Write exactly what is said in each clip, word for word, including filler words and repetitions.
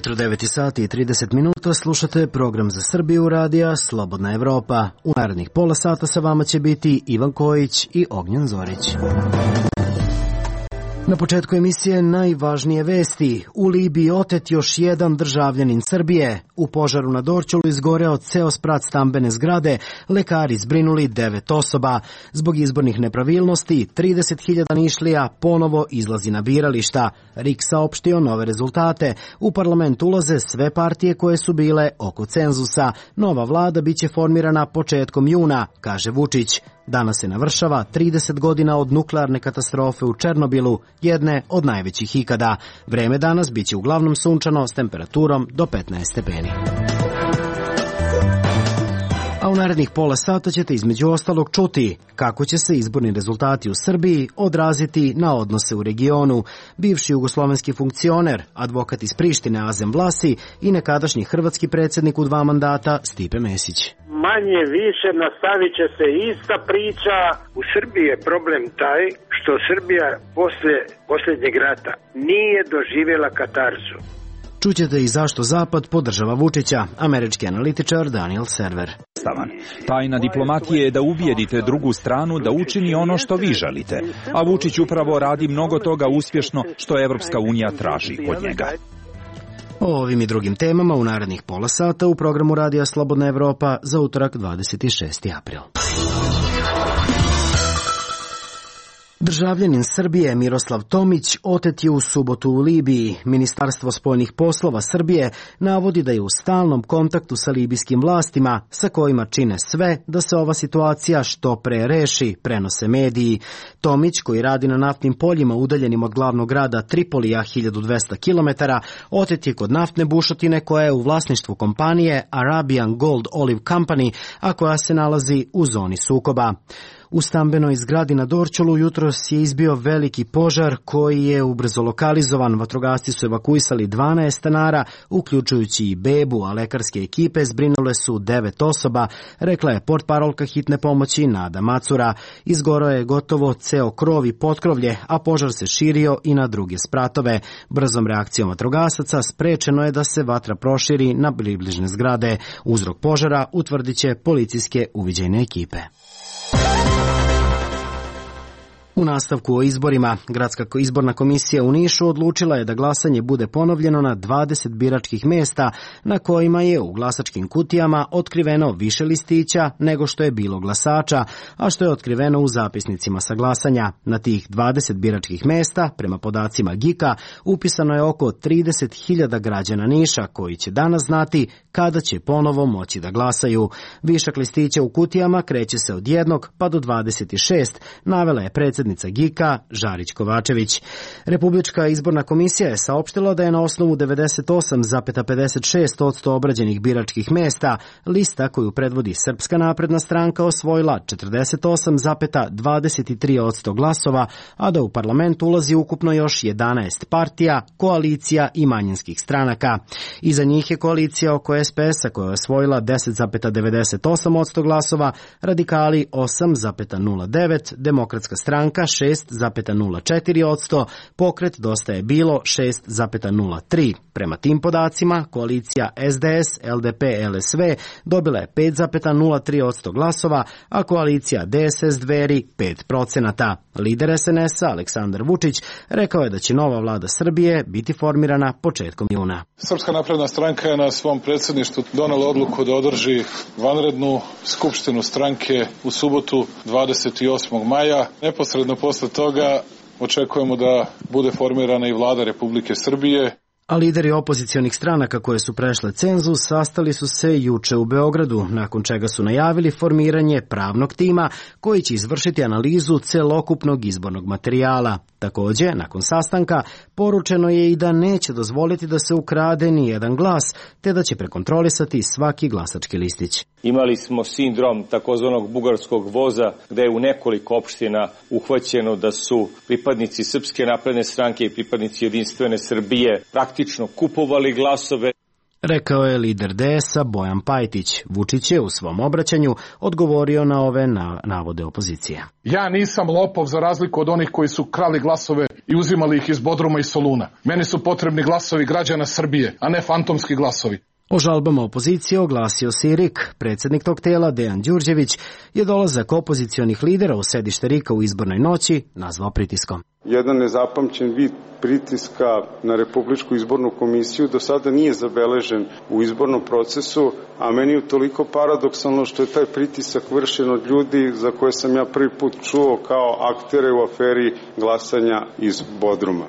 ujutro devet sati i trideset minuta, slušate program za Srbiju radija Slobodna Evropa. U narednih pola sata sa vama će biti Ivan Kojić i Ognjen Zorić. Na početku emisije najvažnije vesti. U Libiji otet još jedan državljanin Srbije. U požaru na Dorćolu izgoreo ceo sprat stambene zgrade. Lekari zbrinuli devet osoba. Zbog izbornih nepravilnosti, trideset hiljada Nišlija ponovo izlazi na birališta. R I K saopštio nove rezultate. U parlament ulaze sve partije koje su bile oko cenzusa. Nova vlada biće formirana početkom juna, kaže Vučić. Danas se navršava trideset godina od nuklearne katastrofe u Černobilu, jedne od najvećih ikada. Vreme danas biće uglavnom sunčano s temperaturom do petnaest stepeni. A u narednih pola sata ćete između ostalog čuti kako će se izborni rezultati u Srbiji odraziti na odnose u regionu. Bivši jugoslovenski funkcioner, advokat iz Prištine Azem Vlasi i nekadašnji hrvatski predsjednik u dva mandata Stipe Mesić. Manje više nastavit će se ista priča. U Srbiji je problem taj što Srbija posle posljednjeg rata nije doživjela katarzu. Čućete i zašto Zapad podržava Vučića, američki analitičar Daniel Server. Tajna diplomatije je da ubijedite drugu stranu da učini ono što vi želite, a Vučić upravo radi mnogo toga uspješno što Evropska unija traži od njega. O ovim i drugim temama u narednih pola sata u programu Radija Slobodna Evropa za utorak dvadeset šesti april. Državljanin Srbije Miroslav Tomić otet je u subotu u Libiji. Ministarstvo spoljnih poslova Srbije navodi da je u stalnom kontaktu sa libijskim vlastima, sa kojima čine sve da se ova situacija što pre reši, prenose mediji. Tomić, koji radi na naftnim poljima udaljenim od glavnog grada Tripolija hiljadu dvesta kilometara, otet je kod naftne bušotine koja je u vlasništvu kompanije Arabian Gold Olive Company, a koja se nalazi u zoni sukoba. U stambenoj zgradi na Dorćolu jutros je izbio veliki požar koji je ubrzo lokalizovan. Vatrogasci su evakuisali dvanaest stanara, uključujući i bebu, a lekarske ekipe zbrinule su devet osoba, rekla je portparolka hitne pomoći Nada Macura. Izgoreo je gotovo ceo krov i potkrovlje, a požar se širio i na druge spratove. Brzom reakcijom vatrogasaca sprečeno je da se vatra proširi na bližnje zgrade. Uzrok požara utvrdit će policijske uviđajne ekipe. U nastavku o izborima, Gradska izborna komisija u Nišu odlučila je da glasanje bude ponovljeno na dvadeset biračkih mesta na kojima je u glasačkim kutijama otkriveno više listića nego što je bilo glasača, a što je otkriveno u zapisnicima sa glasanja. Na tih dvadeset biračkih mesta, prema podacima G I K-a, upisano je oko trideset hiljada građana Niša koji će danas znati kada će ponovo moći da glasaju. Višak listića u kutijama kreće se od jednog pa do dvadeset šest, navela je predsjednica G I K-a Žarić Kovačević. Republička izborna komisija je saopštila da je na osnovu devedeset osam zarez pedeset šest posto obrađenih biračkih mesta lista koju predvodi Srpska napredna stranka osvojila četrdeset osam zarez dvadeset tri posto glasova, a da u parlament ulazi ukupno još jedanaest partija, koalicija i manjinskih stranaka. Iza njih je koalicija oko S P S-a koja je osvojila deset zarez devedeset osam posto glasova, radikali osam zarez nula devet, demokratska stranka šest zarez nula četiri posto, pokret Dosta je bilo šest zarez nula tri. Prema tim podacima, koalicija S D S, L D P, L S V dobila je pet zarez nula tri posto glasova, a koalicija D S S Dveri pet procenata. Lider S N S-a Aleksandar Vučić rekao je da će nova vlada Srbije biti formirana početkom juna. Srpska napredna stranka je na svom predsjedništvu donela odluku da održi vanrednu skupštinu stranke u subotu dvadeset osmog maja. Neposredno posle toga očekujemo da bude formirana i vlada Republike Srbije. A lideri opozicionih stranaka koje su prešle cenzus sastali su se juče u Beogradu, nakon čega su najavili formiranje pravnog tima koji će izvršiti analizu celokupnog izbornog materijala. Također, nakon sastanka, poručeno je i da neće dozvoliti da se ukrade ni jedan glas, te da će prekontrolisati svaki glasački listić. Imali smo sindrom takozvanog bugarskog voza, gde je u nekoliko opština uhvaćeno da su pripadnici Srpske napredne stranke i pripadnici Jedinstvene Srbije praktično kupovali glasove. Rekao je lider D S-a Bojan Pajtić. Vučić je u svom obraćanju odgovorio na ove navode opozicije. Ja nisam lopov za razliku od onih koji su krali glasove i uzimali ih iz Bodruma i Soluna. Meni su potrebni glasovi građana Srbije, a ne fantomski glasovi. O žalbama opozicije oglasio se i R I K. Predsjednik tog tela, Dejan Đurđević, je dolazak opozicionih lidera u sedište R I K-a u izbornoj noći nazvao pritiskom. Jedan nezapamćen vid pritiska na Republičku izbornu komisiju do sada nije zabeležen u izbornom procesu, a meni je toliko paradoksalno što je taj pritisak vršen od ljudi za koje sam ja prvi put čuo kao aktere u aferi glasanja iz Bodruma.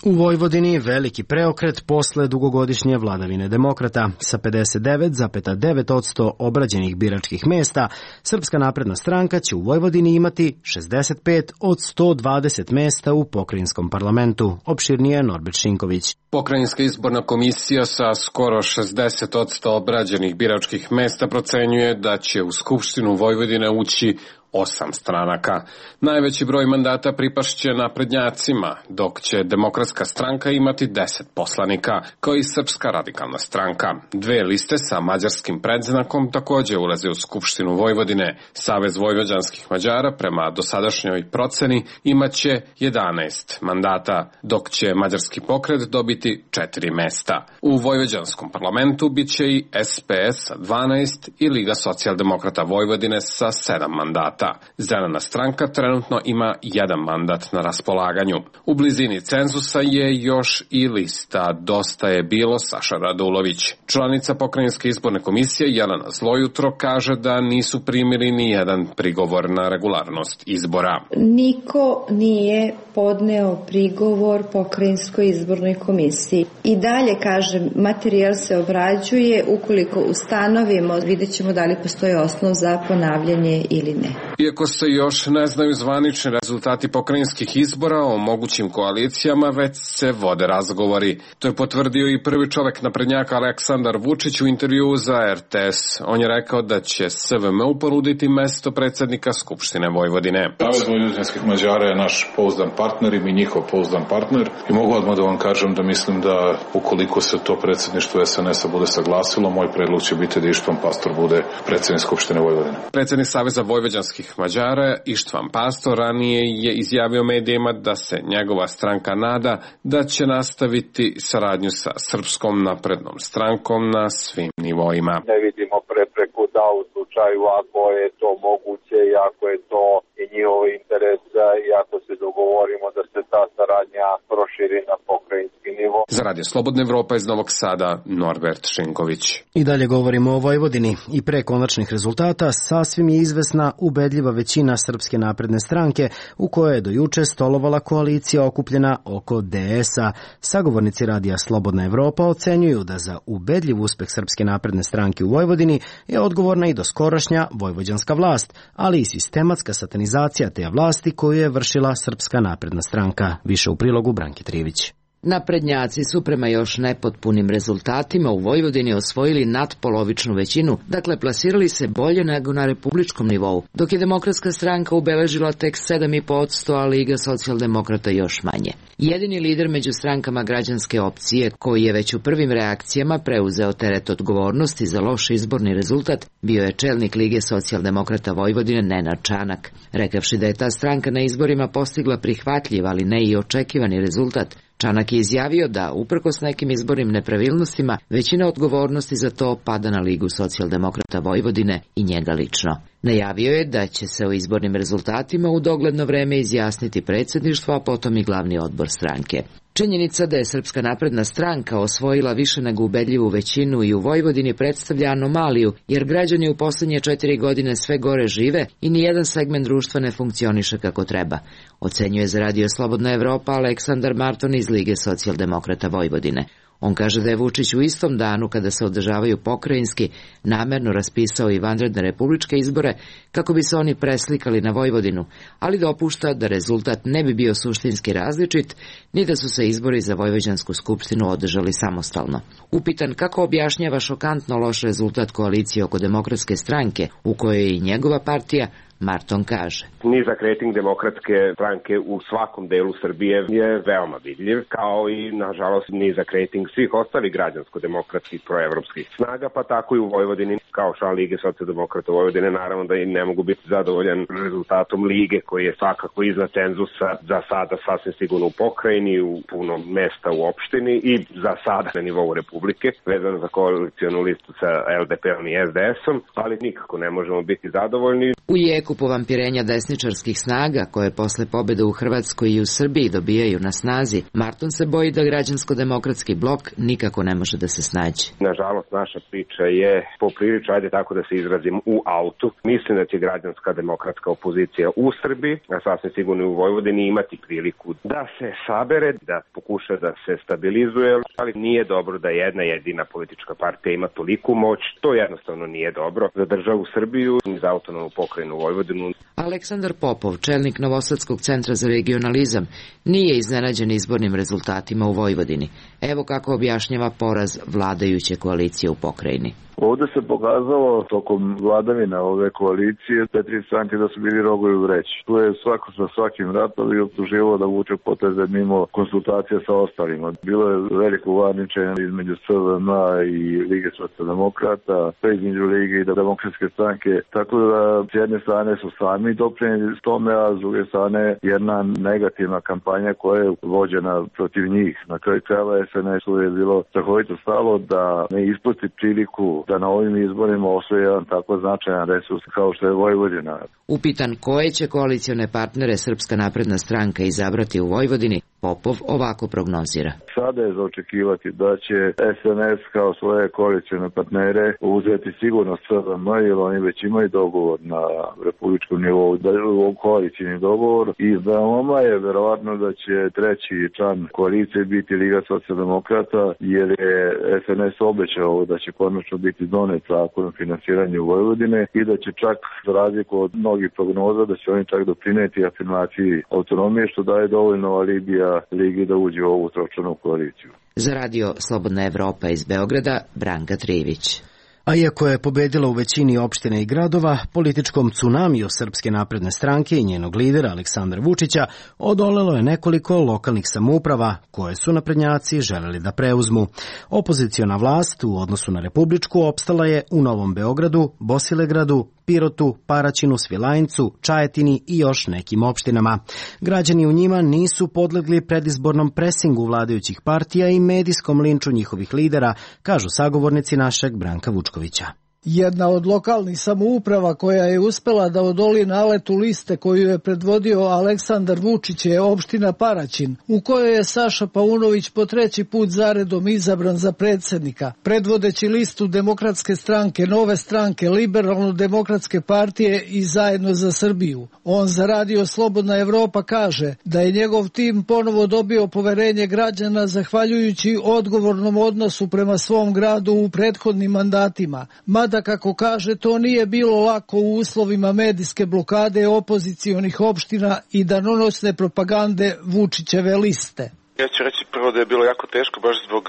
U Vojvodini veliki preokret posle dugogodišnje vladavine demokrata. Sa pedeset devet zarez devet posto obrađenih biračkih mesta, Srpska napredna stranka će u Vojvodini imati šezdeset pet od sto dvadeset mesta u pokrajinskom parlamentu. Opširnije Norbert Šinković. Pokrajinska izborna komisija sa skoro šezdeset posto obrađenih biračkih mesta procenjuje da će u Skupštinu Vojvodine ući osam stranaka. Najveći broj mandata pripašće naprednjacima, dok će Demokratska stranka imati deset poslanika, kao i Srpska radikalna stranka. Dve liste sa mađarskim predznakom takođe ulaze u Skupštinu Vojvodine. Savez vojvođanskih Mađara prema dosadašnjoj proceni imaće jedanaest mandata, dok će mađarski pokret dobiti četiri mesta. U vojvođanskom parlamentu biće i S P S sa dvanaest i Liga socijaldemokrata Vojvodine sa sedam mandata. Zelena stranka trenutno ima jedan mandat na raspolaganju. U blizini cenzusa je još i lista Dosta je bilo Saša Radulović. Članica Pokrajinske izborne komisije Jelena Zlojutro kaže da nisu primili ni jedan prigovor na regularnost izbora. Niko nije podneo prigovor Pokrajinskoj izbornoj komisiji. I dalje, kažem, materijal se obrađuje, ukoliko ustanovimo, vidjet ćemo da li postoji osnov za ponavljanje ili ne. Iako se još ne znaju zvanični rezultati pokrajinskih izbora o mogućim koalicijama, već se vode razgovori. To je potvrdio i prvi čovek naprednjaka Aleksandar Vučić u intervjuu za R T S. On je rekao da će S V M ponuditi mesto predsednika Skupštine Vojvodine. Savez vojvođanskih Mađara je naš pouzdan partner i mi njihov pouzdan partner. I mogu odmah da vam kažem da mislim da ukoliko se to predsedništvo S N S-a bude saglasilo, moj predlog će biti da Ištvan Pastor bude predsednik Skupštine Vojvodine. Predsednik Saveza vojvođanskih Mađara Ištvan Pastor ranije je izjavio medijima da se njegova stranka nada da će nastaviti saradnju sa Srpskom naprednom strankom na svim nivoima. Ne vidimo prepreku da u slučaju ako je to moguće i ako je to i njihov interes i ako se dogovorimo da se ta saradnja proširi na pokrajinski nivo. Za Radio Slobodna Evropa iz Novog Sada, Norbert Šinković. I dalje govorimo o Vojvodini. I pre konačnih rezultata sasvim je izvesna ubedljiva većina Srpske napredne stranke u kojoj je do juče stolovala koalicija okupljena oko D S-a. Sagovornici Radija Slobodna Evropa ocenjuju da za ubedljiv uspeh Srpske napredne stranke u Vojvodini je odgovorna i doskorašnja vojvođanska vlast, ali i sistematska satanizacija te vlasti koju je vršila Srpska napredna stranka. Više u prilogu Branke Trivić. Naprednjaci su prema još nepotpunim rezultatima u Vojvodini osvojili nadpolovičnu većinu, dakle plasirali se bolje nego na republičkom nivou, dok je Demokratska stranka ubeležila tek sedam zarez pet posto, a Liga socijaldemokrata još manje. Jedini lider među strankama građanske opcije, koji je već u prvim reakcijama preuzeo teret odgovornosti za loš izborni rezultat, bio je čelnik Lige socijaldemokrata Vojvodine Nenad Čanak. Rekavši da je ta stranka na izborima postigla prihvatljiv, ali ne i očekivani rezultat, Čanak je izjavio da, uprkos nekim izbornim nepravilnostima, većina odgovornosti za to pada na Ligu socijaldemokrata Vojvodine i njega lično. Najavio je da će se o izbornim rezultatima u dogledno vreme izjasniti predsjedništvo, a potom i glavni odbor stranke. Činjenica da je Srpska napredna stranka osvojila više nego ubedljivu većinu i u Vojvodini predstavlja anomaliju, jer građani u poslednje četiri godine sve gore žive i nijedan segment društva ne funkcioniše kako treba, ocenjuje za Radio Slobodna Evropa Aleksandar Marton iz Lige socijaldemokrata Vojvodine. On kaže da je Vučić u istom danu kada se održavaju pokrajinski namerno raspisao i vanredne republičke izbore kako bi se oni preslikali na Vojvodinu, ali dopušta da rezultat ne bi bio suštinski različit, ni da su se izbori za Vojvođansku skupštinu održali samostalno. Upitan kako objašnjava šokantno loš rezultat koalicije oko Demokratske stranke, u kojoj je i njegova partija, Marton kaže. Nizak rating Demokratske stranke u svakom delu Srbije je veoma vidljiv, kao i, nažalost, nizak rating svih ostalih građansko-demokratskih proevropskih snaga, pa tako i u Vojvodini. Kao član Lige socijaldemokrata Vojvodine, naravno da i ne mogu biti zadovoljan rezultatom Lige, koji je svakako iznad cenzusa za sada sasvim sigurno u pokrajini, u puno mesta u opštini i za sada na nivou Republike, vezano za koalicionu listu sa L D P-om i S D S-om, ali nikako ne možemo biti zadovoljni. U jeku povampirenja desničarskih snaga, koje posle pobjede u Hrvatskoj i u Srbiji dobijaju na snazi, Marton se boji da građansko-demokratski blok nikako ne može da se snađe. Nažalost, naša priča je poprilično, ajde tako da se izrazim, u autu. Mislim da će građanska demokratska opozicija u Srbiji, a sasvim sigurno u Vojvodini, imati priliku da se sabere, da pokuša da se stabilizuje, ali nije dobro da jedna jedina politička partija ima toliku moć. To jednostavno nije dobro za državu Srbiju i za autonomnu pokrajinu Vojvodinu. Aleksandar Popov, čelnik Novosadskog centra za regionalizam, nije iznenađen izbornim rezultatima u Vojvodini. Evo kako objašnjava poraz vladajuće koalicije u pokrajini. Ovde se pokazalo tokom vladavine ove koalicije te tri stranke da su bili rogovi u vreći. Tu je svako sa svakim ratom i optuživao da vuče poteze mimo konsultacija sa ostalima. Bilo je veliko varničenje između S V M i Lige socijaldemokrata, pa između Lige i Demokratske stranke. Tako da s jedne strane su sami doprinijeli tome, a s druge strane jedna negativna kampanja koja je vođena protiv njih. Na kraju krajeva S N S-u je bilo strahovito stalo da ne ispusti priliku da na ovim izborima osvoji jedan tako značajan resurs kao što je Vojvodina. Upitan koje će koalicione partnere Srpska napredna stranka izabrati u Vojvodini, Popov ovako prognozira. Sada je za očekivati da će S N S kao svoje koalicione partnere uzeti sigurno S V M, jer oni već imaju dogovor na republičkom nivou, da je u koalicijni dogovor i veoma je verovatno da će treći član koalicije biti Liga socijaldemokrata, jer je S N S obećao da će konačno biti donet zakon o finansiranju Vojvodine i da će čak, za razliku od mnogih prognoza, da će oni čak doprineti afirmaciji autonomije, što daje dovoljno alibija Ligi da uđe u ovu tročlanu koaliciju. Za radio Slobodna Evropa iz Beograda, Branka Trivić. A iako je pobedila u većini opština i gradova, političkom tsunamiju Srpske napredne stranke i njenog lidera Aleksandra Vučića odolelo je nekoliko lokalnih samouprava koje su naprednjaci želeli da preuzmu. Opoziciona vlast u odnosu na republičku opstala je u Novom Beogradu, Bosilegradu, Pirotu, Paraćinu, Svilajncu, Čajetini i još nekim opštinama. Građani u njima nisu podlegli predizbornom presingu vladajućih partija i medijskom linču njihovih lidera, kažu sagovornici našeg Branka Vučkovića. Jedna od lokalnih samouprava koja je uspela da odoli naletu liste koju je predvodio Aleksandar Vučić je opština Paraćin, u kojoj je Saša Paunović po treći put zaredom izabran za predsjednika, predvodeći listu Demokratske stranke, Nove stranke, Liberalno-demokratske partije i Zajedno za Srbiju. On za radio Slobodna Evropa kaže da je njegov tim ponovo dobio poverenje građana zahvaljujući odgovornom odnosu prema svom gradu u prethodnim mandatima. Da, kako kaže, to nije bilo lako u uslovima medijske blokade opozicionih opština i danonoćne propagande Vučićeve liste. Ja ću reći prvo da je bilo jako teško baš zbog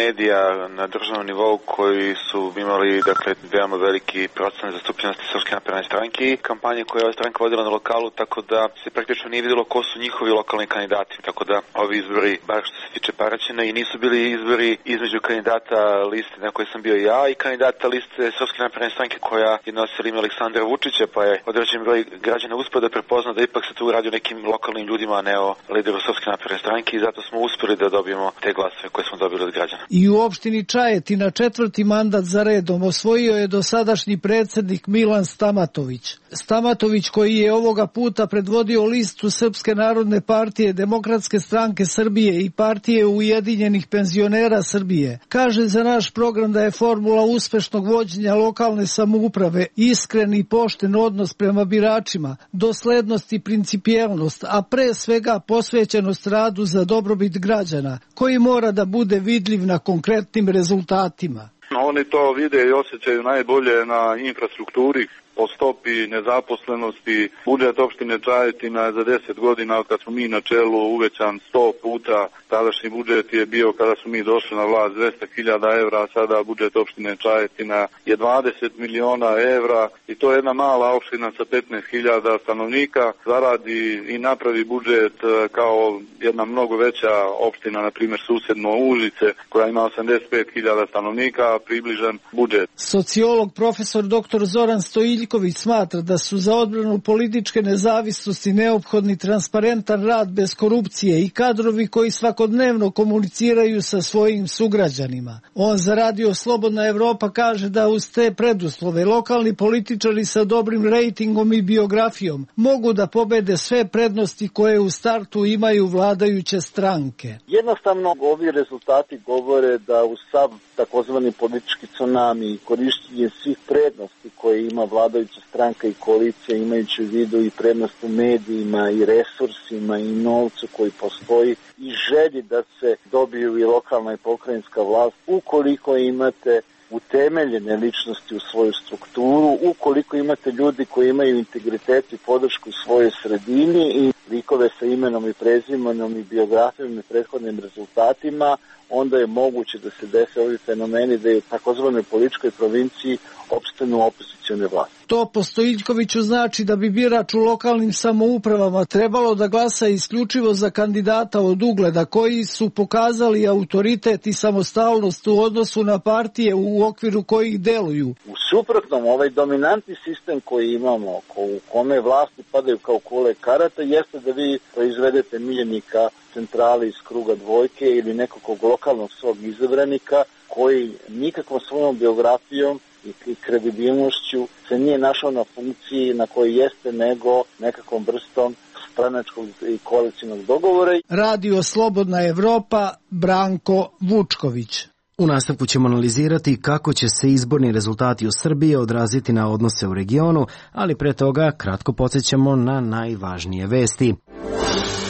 medija na državnom nivou koji su imali, dakle, veoma veliki procenat zastupljenosti Srpske napredne stranke i kampanje koje je ova stranka vodila na lokalu, tako da se praktično nije vidjelo ko su njihovi lokalni kandidati. Tako da ovi izbori, bar što se tiče Paraćina, i nisu bili izbori između kandidata liste na kojoj sam bio ja i kandidata liste Srpske napredne stranke koja je nosila ime Aleksandra Vučića, pa je određen broj građana uspeo da prepozna da ipak se tu radi o nekim lokalnim ljudima, a ne o lideru Srpske napredne stranke i zato smo uspeli da dobijemo te glasove koje smo dobili od građana. I u opštini Čajetina četvrti mandat za redom osvojio je dosadašnji predsjednik Milan Stamatović. Stamatović, koji je ovoga puta predvodio listu Srpske narodne partije, Demokratske stranke Srbije i partije Ujedinjenih penzionera Srbije, kaže za naš program da je formula uspešnog vođenja lokalne samouprave iskren i pošten odnos prema biračima, doslednost i principijelnost, a pre svega posvećenost radu za dobrobit građana, koji mora da bude vidljiv na konkretnim rezultatima. Oni to vide i osjećaju najbolje na infrastrukturi. po stopi nezaposlenosti. Budžet opštine Čajetina je za deset godina od kad smo mi na čelu uvećan sto puta. Tadašnji budžet je bio kada smo mi došli na vlast dvesta hiljada evra, a sada budžet opštine Čajetina je dvadeset miliona evra i to je jedna mala opština sa petnaest hiljada stanovnika. Zaradi i napravi budžet kao jedna mnogo veća opština, na primjer susedno Užice, koja ima osamdeset pet hiljada stanovnika, približan budžet. Sociolog profesor doktor Zoran Stojiljković smatra da su za odbranu političke nezavisnosti neophodni transparentan rad bez korupcije i kadrovi koji svakodnevno komuniciraju sa svojim sugrađanima. On za radio Slobodna Evropa kaže da uz te preduslove lokalni političari sa dobrim rejtingom i biografijom mogu da pobede sve prednosti koje u startu imaju vladajuće stranke. Jednostavno ovi rezultati govore da u sav takozvani politički tsunami i korištenje svih prednosti koje ima vladajuća stranka i koalicija, imajući u vidu i prednost u medijima i resursima i novcu koji postoji i želji da se dobiju i lokalna i pokrajinska vlast, ukoliko imate utemeljene ličnosti u svoju strukturu, ukoliko imate ljudi koji imaju integritet i podršku u svojoj sredini i likove sa imenom i prezimenom i biografijom i prethodnim rezultatima, onda je moguće da se dese ovi fenomeni da je u takozvanoj političkoj provinciji opstanu opozicione vlasti. To po Stojiljkoviću znači da bi birač u lokalnim samoupravama trebalo da glasa isključivo za kandidata od ugleda koji su pokazali autoritet i samostalnost u odnosu na partije u okviru kojih deluju. U suprotnom, ovaj dominantni sistem koji imamo, u kome vlasti padaju kao kule karata, jeste da vi proizvedete miljenika centrali iz kruga dvojke ili nekog lokalnog svog izabranika koji nikakvom svojom biografijom i kredibilnošću se nije našao na funkciji na kojoj jeste, nego nekakvom vrstom stranačkog i koalicijnog dogovora. Radio Slobodna Evropa, Branko Vučković. U nastavku ćemo analizirati kako će se izborni rezultati u Srbiji odraziti na odnose u regionu, ali pre toga kratko podsjećamo na najvažnije vesti.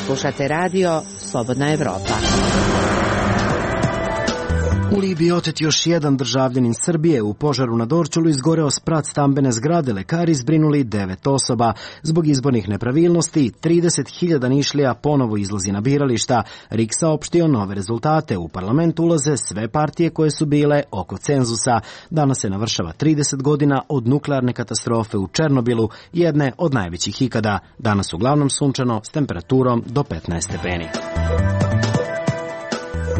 Slušate radio Slobodna Evropa. U Libiji otet još jedan državljanin Srbije. U požaru na Dorćolu izgoreo sprat stambene zgrade. Lekari zbrinuli devet osoba. Zbog izbornih nepravilnosti, trideset hiljada Nišlija ponovo izlazi na birališta. R I K saopštio nove rezultate. U parlament ulaze sve partije koje su bile oko cenzusa. Danas se navršava trideset godina od nuklearne katastrofe u Černobilu, jedne od najvećih ikada. Danas uglavnom sunčano s temperaturom do petnaest stepeni.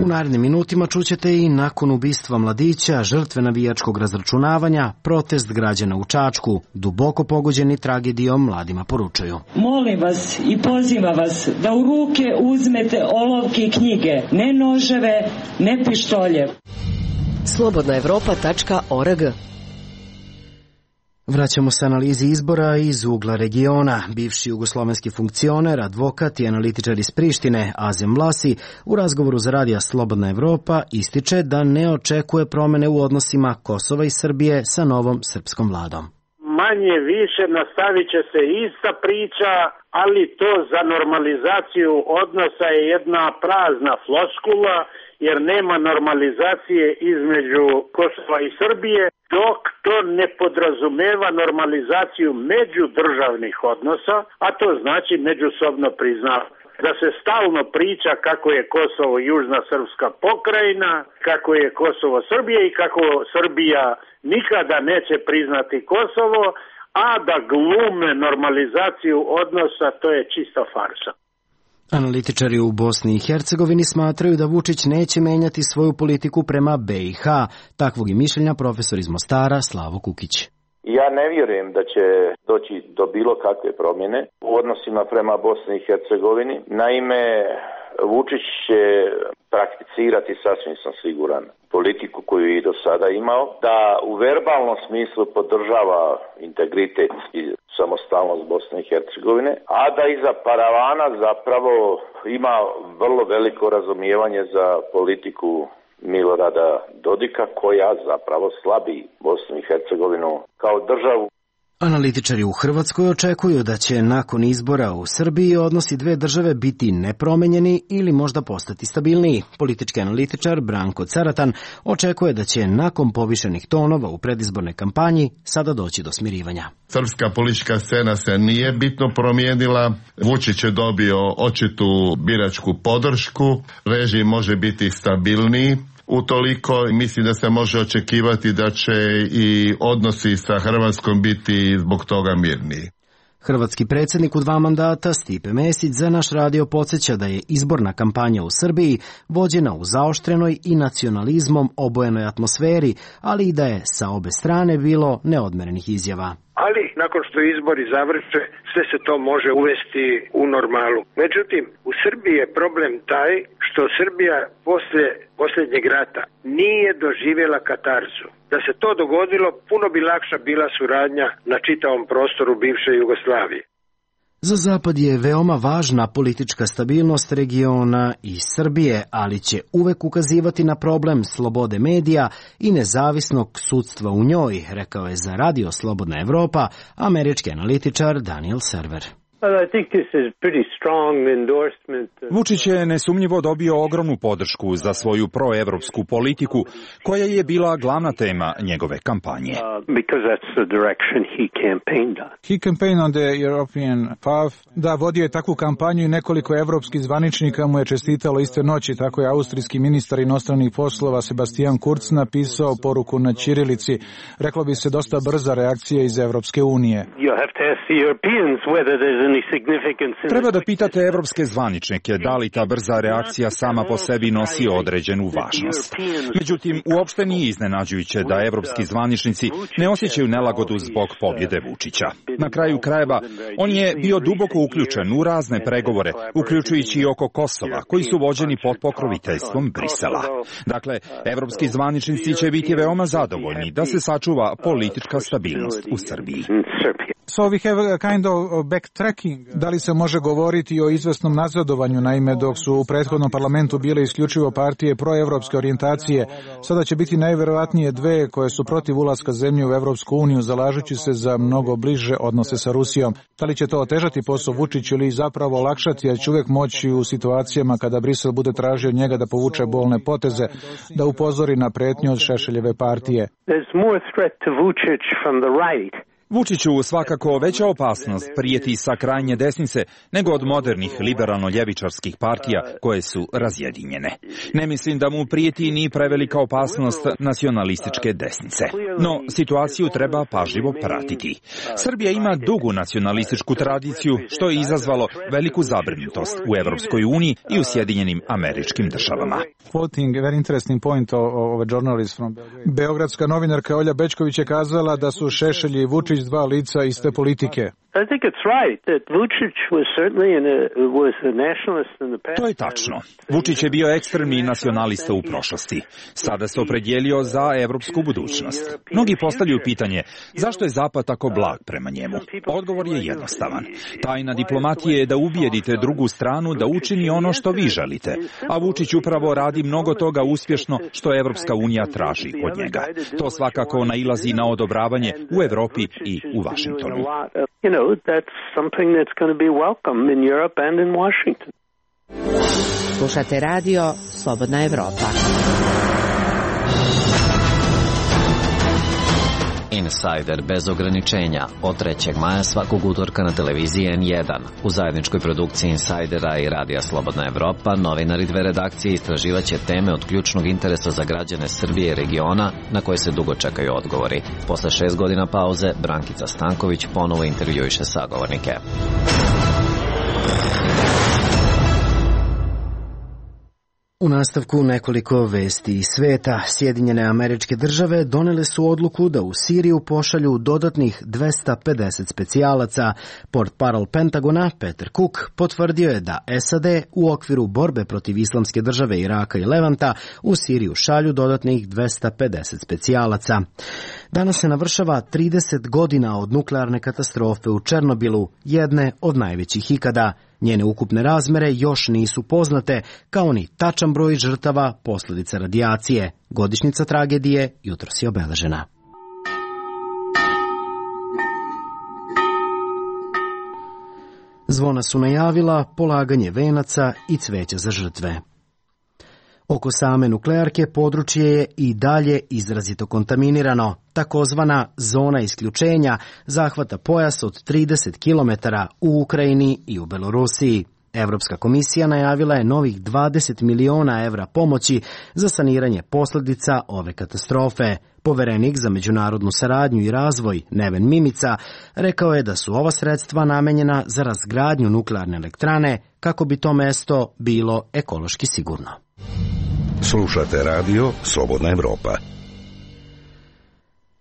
U narednim minutima čućete i nakon ubistva mladića, žrtve navijačkog razračunavanja, protest građana u Čačku, duboko pogođeni tragedijom mladima poručuju. Molim vas i pozivam vas da u ruke uzmete olovke i knjige, ne noževe, ne pištolje. slobodna evropa tačka org. Vraćamo se analizi izbora iz ugla regiona. Bivši jugoslovenski funkcioner, advokat i analitičar iz Prištine, Azem Vlasi, u razgovoru za radija Slobodna Evropa ističe da ne očekuje promene u odnosima Kosova i Srbije sa novom srpskom vladom. Manje više nastavit će se ista priča, ali to za normalizaciju odnosa je jedna prazna floskula, jer nema normalizacije između Kosova i Srbije, dok to ne podrazumeva normalizaciju međudržavnih odnosa, a to znači međusobno priznavanje. Da se stalno priča kako je Kosovo južna srpska pokrajina, kako je Kosovo Srbije i kako Srbija nikada neće priznati Kosovo, a da glume normalizaciju odnosa, to je čista farsa. Analitičari u Bosni i Hercegovini smatraju da Vučić neće menjati svoju politiku prema B i H. Takvog je mišljenja profesor iz Mostara Slavo Kukić. Ja ne vjerujem da će doći do bilo kakve promjene u odnosima prema Bosni i Hercegovini. Naime, Vučić će prakticirati, sasvim sam siguran, politiku koju je i do sada imao, da u verbalnom smislu podržava integritet i samostalnost Bosne i Hercegovine, a da iza paravana zapravo ima vrlo veliko razumijevanje za politiku Milorada Dodika, koja zapravo slabi Bosnu i Hercegovinu kao državu. Analitičari u Hrvatskoj očekuju da će nakon izbora u Srbiji odnosi dve države biti nepromenjeni ili možda postati stabilniji. Politički analitičar Branko Caratan očekuje da će nakon povišenih tonova u predizbornoj kampanji sada doći do smirivanja. Srpska politička scena se nije bitno promijenila. Vučić je dobio očitu biračku podršku. Režim može biti stabilniji. Utoliko mislim da se može očekivati da će i odnosi sa Hrvatskom biti zbog toga mirniji. Hrvatski predsjednik u dva mandata Stipe Mesić za naš radio podsjeća da je izborna kampanja u Srbiji vođena u zaoštrenoj i nacionalizmom obojenoj atmosferi, ali i da je sa obe strane bilo neodmerenih izjava. Ali nakon što izbori završe, sve se to može uvesti u normalu. Međutim, u Srbiji je problem taj što Srbija posle posljednjeg rata nije doživjela katarzu. Da se to dogodilo, puno bi lakša bila suradnja na čitavom prostoru bivše Jugoslavije. Za Zapad je veoma važna politička stabilnost regiona i Srbije, ali će uvek ukazivati na problem slobode medija i nezavisnog sudstva u njoj, rekao je za Radio Slobodna Evropa američki analitičar Daniel Server. Vučić je nesumnjivo dobio ogromnu podršku za svoju proevropsku politiku, koja je bila glavna tema njegove kampanje. He campaigned on the European path. Da, vodio je takvu kampanju i nekoliko evropskih zvaničnika mu je čestitalo iste noći. Tako je austrijski ministar inostranih poslova Sebastian Kurz napisao poruku na ćirilici. Reklo bi se dosta brza reakcija iz Evropske unije. Treba da pitate evropske zvaničnike da li ta brza reakcija sama po sebi nosi određenu važnost. Međutim, uopšte nije iznenađujuće da evropski zvaničnici ne osjećaju nelagodu zbog pobjede Vučića. Na kraju krajeva, on je bio duboko uključen u razne pregovore, uključujući i oko Kosova, koji su vođeni pod pokroviteljstvom Brisela. Dakle, evropski zvaničnici će biti veoma zadovoljni da se sačuva politička stabilnost u Srbiji. So we have a kind of backtracking. Da li se može govoriti o izvesnom nazadovanju, naime dok su u prethodnom parlamentu bile isključivo partije proevropske orijentacije, sada će biti najverovatnije dve koje su protiv ulaska zemlje u Evropsku uniju, zalažući se za mnogo bliže odnose sa Rusijom. Da li će to otežati posao Vučiću ili zapravo olakšati, jer će uvek moći u situacijama kada Brisel bude tražio od njega da povuče bolne poteze, da upozori na pretnju od Šešeljeve partije. Vučiću svakako veća opasnost prijeti sa krajnje desnice nego od modernih liberalno-ljevičarskih partija koje su razjedinjene. Ne mislim da mu prijeti ni prevelika opasnost nacionalističke desnice. No, situaciju treba pažljivo pratiti. Srbija ima dugu nacionalističku tradiciju, što je izazvalo veliku zabrinutost u Evropskoj uniji i u Sjedinjenim Američkim Državama. Beogradska novinarka Olja Bečković je kazala da su Šešelj i Vučić dva lica iste politike. To je tačno. Vučić je bio ekstremni nacionalista u prošlosti. Sada se opredjelio za evropsku budućnost. Mnogi postavljaju pitanje zašto je Zapad tako blag prema njemu. Odgovor je jednostavan. Tajna diplomatije je da ubijedite drugu stranu da učini ono što vi želite, a Vučić upravo radi mnogo toga uspješno što Evropska unija traži od njega. To svakako nailazi na odobravanje u Evropi i u Vašingtonu. You know, that's something that's going to be welcome in Europe and in Washington. Slušate radio Slobodna Evropa. Insider bez ograničenja od trećeg maja svakog utorka na televiziji en jedan. U zajedničkoj produkciji Insidera i Radija Slobodna Evropa novinari dve redakcije istraživaće teme od ključnog interesa za građane Srbije i regiona na koje se dugo čekaju odgovori. Posle šest godina pauze, Brankica Stanković ponovo intervjuiše sagovornike. U nastavku nekoliko vesti iz sveta. Sjedinjene Američke Države donele su odluku da u Siriju pošalju dodatnih dvesta pedeset specijalaca. Portparol Pentagona Peter Cook potvrdio je da es a de u okviru borbe protiv Islamske države Iraka i Levanta u Siriju šalju dodatnih dvesta pedeset specijalaca. Danas se navršava trideset godina od nuklearne katastrofe u Černobilu, jedne od najvećih ikada. Njene ukupne razmere još nisu poznate, kao ni tačan broj žrtava posljedica radijacije. Godišnjica tragedije jutros je obeležena. Zvona su najavila polaganje venaca i cveća za žrtve. Oko same nuklearke područje je i dalje izrazito kontaminirano. Takozvana zona isključenja zahvata pojas od trideset kilometara u Ukrajini i u Belorusiji. Evropska komisija najavila je novih dvadeset miliona evra pomoći za saniranje posljedica ove katastrofe. Poverenik za međunarodnu saradnju i razvoj Neven Mimica rekao je da su ova sredstva namenjena za razgradnju nuklearne elektrane kako bi to mesto bilo ekološki sigurno. Slušate radio Slobodna Evropa.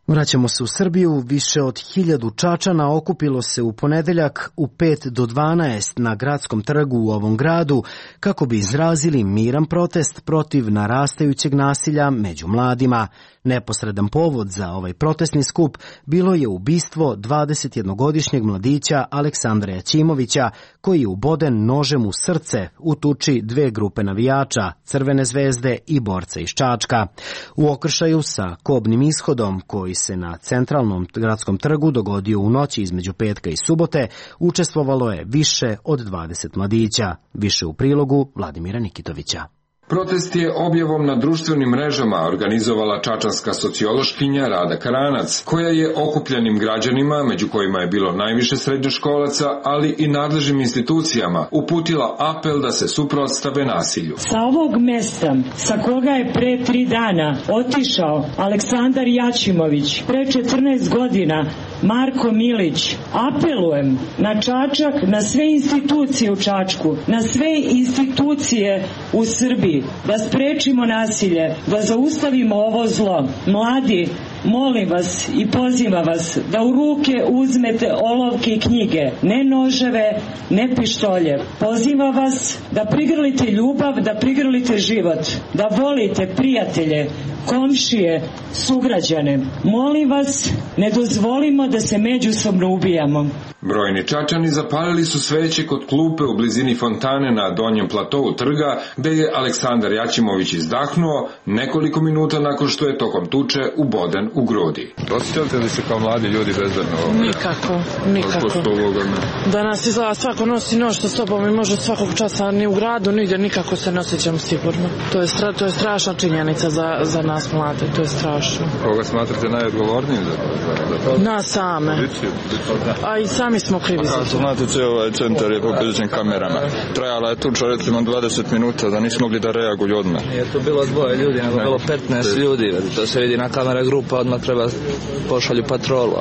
Vraćamo se u Srbiju. Više od hiljadu Čačana okupilo se u ponedeljak u pet do dvanaest na gradskom trgu u ovom gradu kako bi izrazili miran protest protiv narastajućeg nasilja među mladima. Neposredan povod za ovaj protestni skup bilo je ubistvo dvadesetjednogodišnjeg mladića Aleksandra Jaćimovića, koji je uboden nožem u srce u tuči dve grupe navijača, Crvene zvezde i borca iz Čačka. U okršaju sa kobnim ishodom, koji se na centralnom gradskom trgu dogodio u noći između petka i subote, učestvovalo je više od dvadeset mladića. Više u prilogu Vladimira Nikitovića. Protest je objavom na društvenim mrežama organizovala čačanska sociološkinja Rada Karanac, koja je okupljenim građanima, među kojima je bilo najviše srednjoškolaca, ali i nadležnim institucijama, uputila apel da se suprotstave nasilju. Sa ovog mesta, sa koga je pre tri dana otišao Aleksandar Jaćimović, pre četrnaest godina Marko Milić, apelujem na Čačak, na sve institucije u Čačku, na sve institucije u Srbiji, da sprečimo nasilje, da zaustavimo ovo zlo. Mladi, molim vas i pozivam vas da u ruke uzmete olovke i knjige, ne noževe, ne pištolje. Pozivam vas da prigrlite ljubav, da prigrlite život, da volite prijatelje, komšije, sugrađane. Molim vas, ne dozvolimo da se međusobno ubijamo. Brojni Čačani zapalili su sveće kod klupe u blizini fontane na donjem platovu trga, gde je Aleksandar Jaćimović izdahnuo nekoliko minuta nakon što je tokom tuče uboden u grudi. Osjećate li se kao mladi ljudi bezbedno? Nikako, nikako. Danas izgleda svako nosi nož sa sobom i može svakog časa ni u gradu, nigdje nikako se ne osjećam sigurno. To je, stra, to je strašna činjenica za, za nas mlade, to je strašno. Koga smatrate najodgovornijim za to? Nas same. A i sami smo krivi za to. Znate, cijel ovaj centar je popričan kamerama. Trajala je tuča recimo dvadeset minuta, da nismo mogli da reaguju odmah. Nije to bilo dvoje ljudi, nego bilo petnaest ljudi. To se vidi na kamera grupa, odmah treba pošalju patrolu.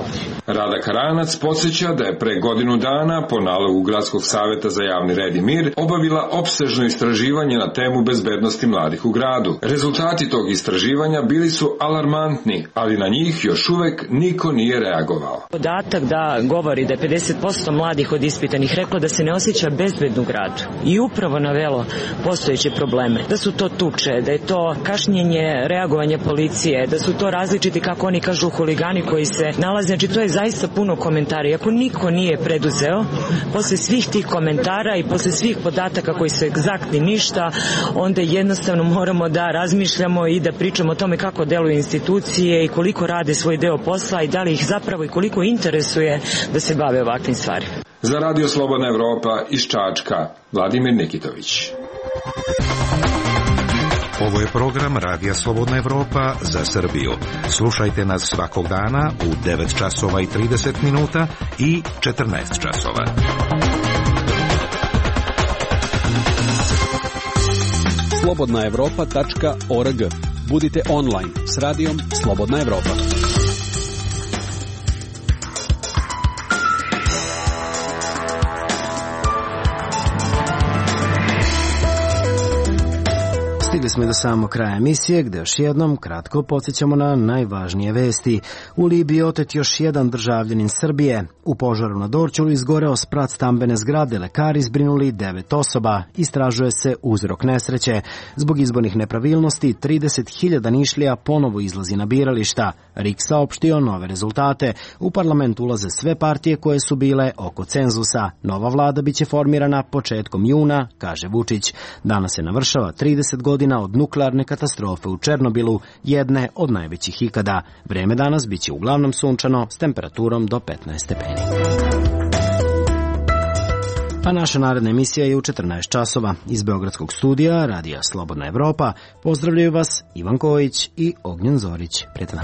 Rada Karanac podsjeća da je pre godinu dana po nalogu Gradskog saveta za javni red i mir obavila opsežno istraživanje na temu bezbednosti mladih u gradu. Rezultati tog istraživanja bili su alarmantni, ali na njih još uvek niko nije reagovao. Podatak da govori da je pedeset posto mladih od ispitanih reklo da se ne osjeća bezbedno u gradu i upravo navelo postojeće probleme. Da su to tuče, da je to kašnjenje reagovanja policije, da su to različiti, kako oni kažu, huligani koji se nalaze. Znači, to je zaista puno komentara. I ako niko nije preduzeo, posle svih tih komentara i posle svih podataka koji su egzaktni ništa, onda jednostavno moramo da razmišljamo i da pričamo o tome kako deluju institucije i koliko rade svoj deo posla i da li ih zapravo i koliko interesuje da se bave ovakvim stvarima. Za Radio Slobodna Evropa iz Čačka, Vladimir Nikitović. Ovo je program Radija Slobodna Evropa za Srbiju. Slušajte nas svakog dana u devet časova i trideset minuta i četrnaest časova. slobodna evropa tačka org. Budite online s radijom Slobodna Evropa. Stigli smo do samog kraja emisije, gde još jednom kratko podsjećamo na najvažnije vesti. U Libiji otet još jedan državljanin Srbije. U požaru na Dorćolu izgoreo sprat stambene zgrade, lekari zbrinuli devet osoba. Istražuje se uzrok nesreće. Zbog izbornih nepravilnosti, trideset hiljada Nišlija ponovo izlazi na birališta. R I K saopštio nove rezultate. U parlament ulaze sve partije koje su bile oko cenzusa. Nova vlada biće formirana početkom juna, kaže Vučić. Danas se navršava trideset godina od nuklearne katastrofe u Černobilu, jedne od najvećih ikada. Vreme danas biće uglavnom sunčano s temperaturom do petnaest stepeni. A naša naredna emisija je u četrnaest časova. Iz Beogradskog studija Radija Slobodna Evropa pozdravljaju vas Ivan Kojić i Ognjen Zorić. Prijatno.